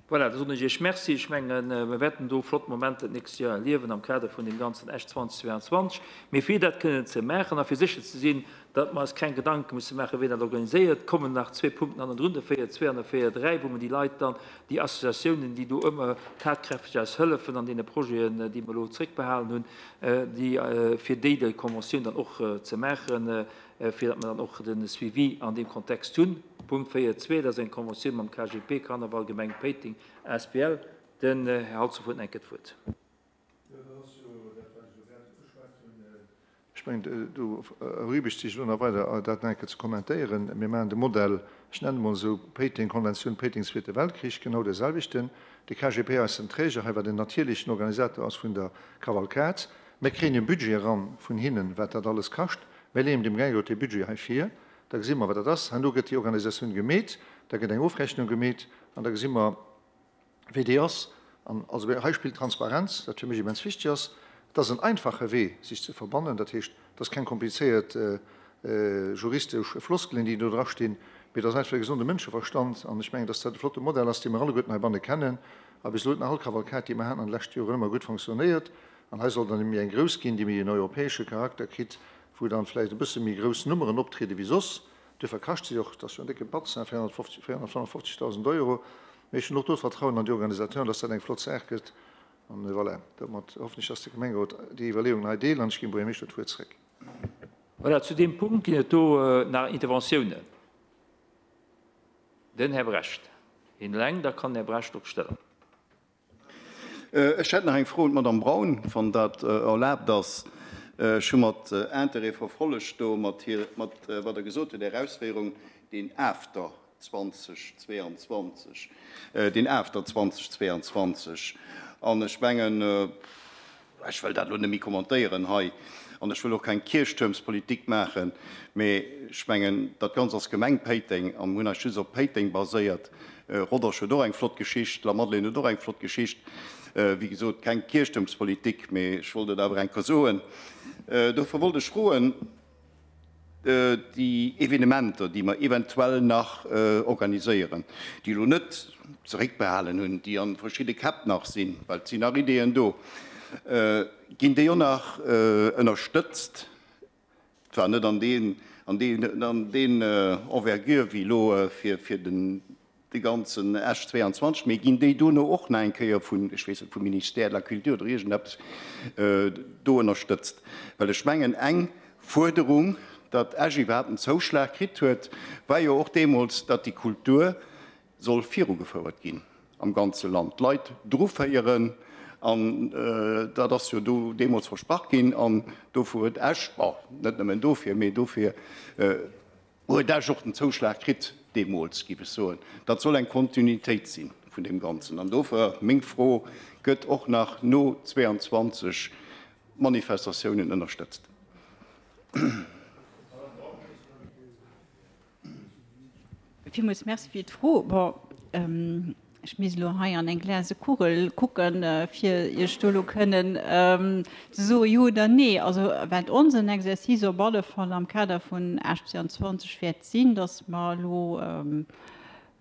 Voilà, da soen ech Iech Merci. Ech mengen, mir wäerten do flott Momenter d'nächst Joer erliewen am Kader vun deem ganzen Esch 2022. Mee fir dat kënnen ze maachen a fir sécher ze sinn, datt mer eis keng Gedanke musse maachen, wien dat organiséiert, kommen nach zwee Punkten hannendrun, de 4.2 an de 4.3, wou mer déi Leit dann, déi Associatiounen, déi do ëmmer tatkräfteg eis hëllefen an deene Projeten, déi mer elo zréckbehalen hunn, déi, fir déi déi Conventioun dann och ze maachen, fir datt mer dann och de Suivi an deem Kontext hunn. Punkt 4.2, dat ass eng Conventioun mam KGP, Karneval Gemeng Péiteng asbl. Den Här Halsdorf huet nach eng Kéier d'Wuert. Jo, dat ass jo dat, wat ech elo grad ugeschwat hunn. Ech mengen, do erübregt sech elo nach weider, dat nach eng Kéier ze kommentéieren. Mir maachen de Modell, ech nennen e mol esou, Péiteng, Konventioun Péiteng, Zweete Weltkrich, genau dee selwechten. De KGP ass den Träger hei, wat en natierlechen Organisator ass vun der Kavalkad. Mir kréien e Budget eran vun hinnen, wat dat alles kascht. Mir leeën dem Gemengerot dee Budget hei vir. Da gesi mer, wat dat ass. Herno gëtt déi Organisatioun gemeet, da gëtt eng Ofrechnung gemeet an da gesi mer, wéi déi ass. An also hei spillt d'Transparenz, wat fir mech immens wichteg ass. Et ass en einfache Wee, sech ze verbannen. Dat heescht, et ass keng komplizéiert juristesch Floskelen, déi do drastinn, mee et ass einfach e gesonde Mënscheverstand. An ech mengen, dass dat e flotte Modell ass, dee mer alleguerten heibanne kennen. A bis elo huet nach all Kavalkad, déi mer haten an de leschte Joren, ëmmer gutt fonctionnéiert. An hei soll dann méi eng grouss ginn, déi méi en europäesche Charakter kritt, wou dann vläicht e bësse méi grouss Nummeren optriede wéi soss. Duerfir kascht si och, et ass jo en décke Batz, hein, 455.000 Euro. Mee ech hunn och do d'Vertrauen an déi Organisateuren, dass dat eng flott Saach gëtt. An voilà, domat hoffen ech, dass de Gemengerot déi Iwwerleeungen hei deelt an ech ginn dem Buergermeeschter d'Wuert zréck. Voilà, zu deem Punkt ginn et do nach Interventiounen. Den Här Brecht. Een eleng, da kann den Här Brecht och stëllen. Ech hätt nach eng Fro un d'Madame Braun, wann dat erlaabt ass. Ech hu mat Interêt verfollegt do mat hir, mat wat Der gesot hutt, Är Ausféierung, deen After 2022, deen After 2022. An ech mengen, Ech wëll dat elo net méi kommentéieren hei an ech wëll och keng Kierchtuermspolitik maachen, mee ech mengen, dat Ganzt ass Gemeng Péiteng a mir hunn eis just op Péiteng baséiert. Rodange huet och eng flott Geschicht, Lamadelaine huet och eng flott Geschicht. Wéi gesot, keng Kierchtuermspolitik, mee ech wollt et awer eng Kéier soen. Dofir wollt ech froen, déi Evenementer, déi mer eventuell nach organiséieren, déi elo net zeréckbehalen hunn, déi a verschidde Käpp nach sinn, well et sinn nach Ideeën do, ginn déi och nach ënnerstëtzt, zwar net an deen Envergure wéi elo fir den de ganzen Esch 22, mee ginn déi dono och nach eng Kéier vun, ech weess net, vum Ministère de la Culture oder iergendeppes do ënnerstëtzt? Well ech mengen, eng Fuerderung, datt Esch iwwerhaapt en Zouschlag kritt huet, war jo och deemools, datt déi Kultur soll virugefouert ginn am ganze Land, d'Leit druféieren. An dat ass jo do deemools versprach ginn an dofir huet Esch, bon, net nëmmen dofir, mee dofir, Huet Esch och den Zouschlag kritt deemools, géif ech soen. Dat soll eng Kontinuitéit si vun deem Ganzen. An dofir meng Fro, Gëtt och nach no 22 Manifestatiounen ënnerstëtzt? Villmools Merci fir d'Fro. Bon, ech misst elo hei an eng glase Kugel kucken, fir Iech do elo kënnen ze soe jo oder nee. Also wat onsen Exercice op alle Fall am Kader vun Esch 22 wäert sinn, datt mer elo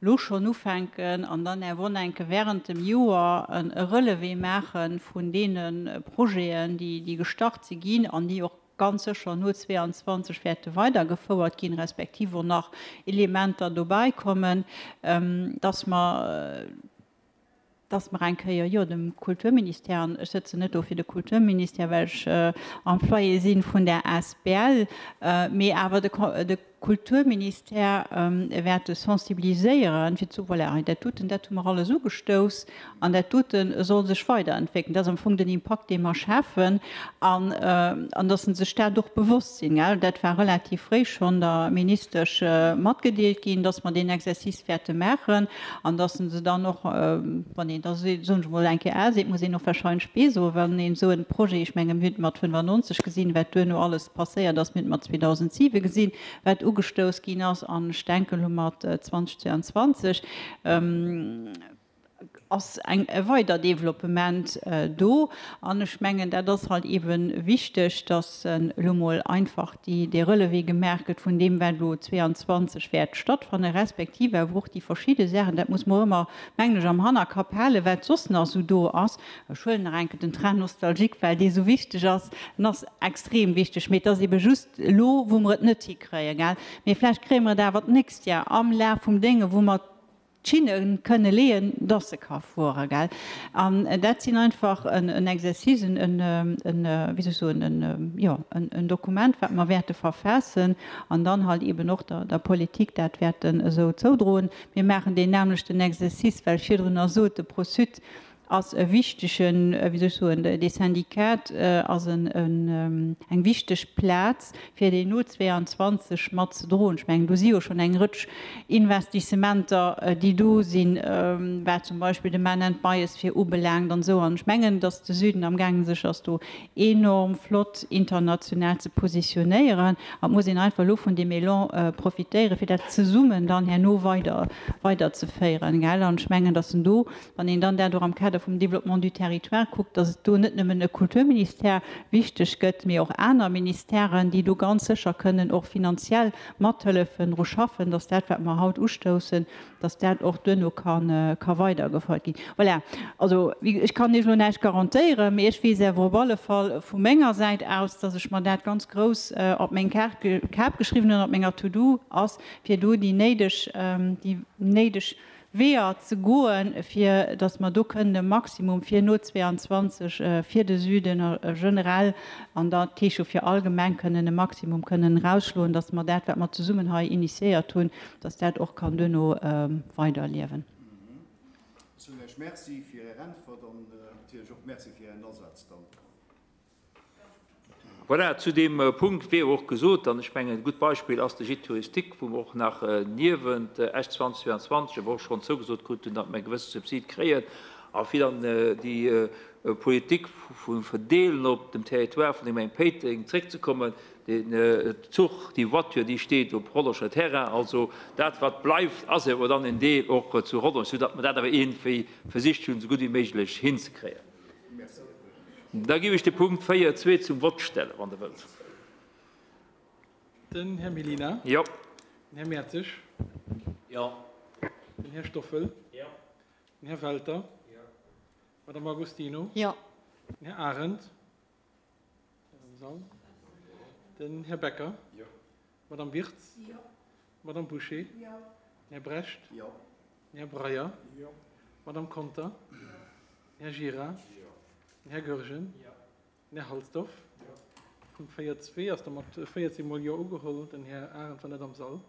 elo schonn ufänken an dann awer och enke während dem Joer e Relevé maache vun deene Projeten, déi gestart si ginn an déi och ganz sécher no 22 wäerte weidergefouert ginn, respektiv och nach Elementer dobäi kommen, dass mer, dass mer eng Kéier, jo, dem Kulturministère, an ech sëtzen net do fir de Kulturministère, well ech Employé si vun där asbl, mee awer de Kulturministère wäerte sensibiliséieren, fir ze soen, voilà, hei dat doten, dat hu mer alles ugestouss an dat dote soll sech weiderentwéckelen. Dat ass am Fong den Impakt, dee mer schafen an, an dass se sech dat och bewosst sinn. Dat war relativ fréi schonn der Ministesch matgedeelt ginn, dass mer deen Exercice wäerte maachen an dass se dann och, wann een da, soen ech emol, eng Kéier A seet, muss een och wahrscheinlech B soen, wann een esou e Projet, ech menge mir hunn et mat 95 gesinn, wat duerno alles passéiert ass, mir hunn et mat 2007 gesinn, wat ugestouss ginn ass, an ech denken elo mat 2022. ass eng e weider Developpement do. An ech mengen, dat ass halt eebe wichteg, dass elo mol einfach déi, dee Relevé gemaach gëtt vun deem, wat elo 22 wäert stattfannen, respektiv awer och déi verschidde Saachen, dat muss mer och ëmmer, mengen ech, am Hannerkapp halen, wat soss nach esou do ass. Ech huelen nach eng Kéier den Train nostalgique, well dee esou wichteg ass. En ass extrem wichteg, mee et ass eebe just elo, wou mer et net hikréien, gell. Mee vläicht kréie mer et awer d'nächst Jar am Laf vum Dénge, wou mer d'Schinne kënne leeën, dass se ka fueren, gell. An dat sinn einfach en Exercice, en, en, wéi soll ech soen, en, jo, en Dokument, wat mer wäerte verfaassen an dann halt eeben och der, der Politik dat wäerten esou zoudroen. Mir maachen deen nämlechten Exercice, well ech virdrunner sot, de Pro-Sud ass e wichtegen, wéi soll ech soen, dee Syndicat ass eng wichteg Plaz, fir deen no 22 mat ze droen. Ech mengen, do si jo schonn eng Rëtsch Investissementer, déi do sinn, wat zum Beispill de Man and Biosphere ubelaangt an esou. An ech mengen, datt de Süden amgaangen sech ass do enorm flott international ze positionéieren. An et muss een einfach elo vun deem Elan profitéieren, fir dat zesummen dann herno weider weiderzeféieren. An ech mengen, datt en do Wann een dann dat och am Kader vum Développement du territoire kuckt, dass et do net nëmmen e Kulturministère wichteg gëtt, mee och aner Ministèren, déi do ganz sécher kënnen och finanziell mathëllefen, dru schaffen, dass dat, wat mer haut ustoussen, dass dat och duerno ka weidergefouert ginn. Voilà, also ech kann Iech elo näischt garantéieren, mee ech weess awer op alle Fall vu menger Säit aus, dass ech mer dat ganz grouss op meng Kap geschriwwen hunn, op menger To-do ass, fir do déi néideg, déi néideg Weeër ze goen, fir datt mer do kënnen e Maximum fir no 22 fir de Süden generell an dat heescht jo fir all Gemeng kënnen e Maximum kënnen erausschloen, datt mer dat, wat mer zesummen hei initiéiert hunn, datt dat och kann duerno weiderliewen. Ech soen Iech Merci fir Är Äntwert an natierlech och Merci fir Ären Asaz dann. Voilà, zu deem Punkt wier och gesot, an ech mengen e gutt Beispill ass de Gîte touristique, wou mer och nach niewent Esch 2022 awer och schonn zougesot krut hunn, datt mer e gewësse Subsid kréien, a fir dann déi Politik vum Verdeelen op dem Territoire vun der Gemeng Péiteng zréckzekommen, den Zuch, déi Voiture, déi steet op Rodangerer Terrain. Also dat wat bleift, ass awer dann en Deel och zu Rodange, soudatt mer dat awer iergendwéi versicht hunn, esou gutt wéi méiglech hinzekréien. Da géif ech de Punkt 4, 2 zum Vott stellen, wann Der wëllt. Den Här Mellina. Jo. Den Här Mertzig. Jo. Den Här Stoffel. Jo. Den Här Welter. Jo. D'Madame Agostino. Jo. Den Här Arendt. Den Här Becker. Jo. D'Madame Wirtz. Jo. D'Madame Bouché. Jo. Den Här Brecht. Jo. Den Här Breyer. Jo. D'Madame Conter. Jo. Den Här Gira. Jo. Den Här Goergen. Jo. Den Här Halsdorf. Jo. Punkt 4, 2 ass da mat 14 mol Jo ugeholl. Den Här Arendt war net am Sall.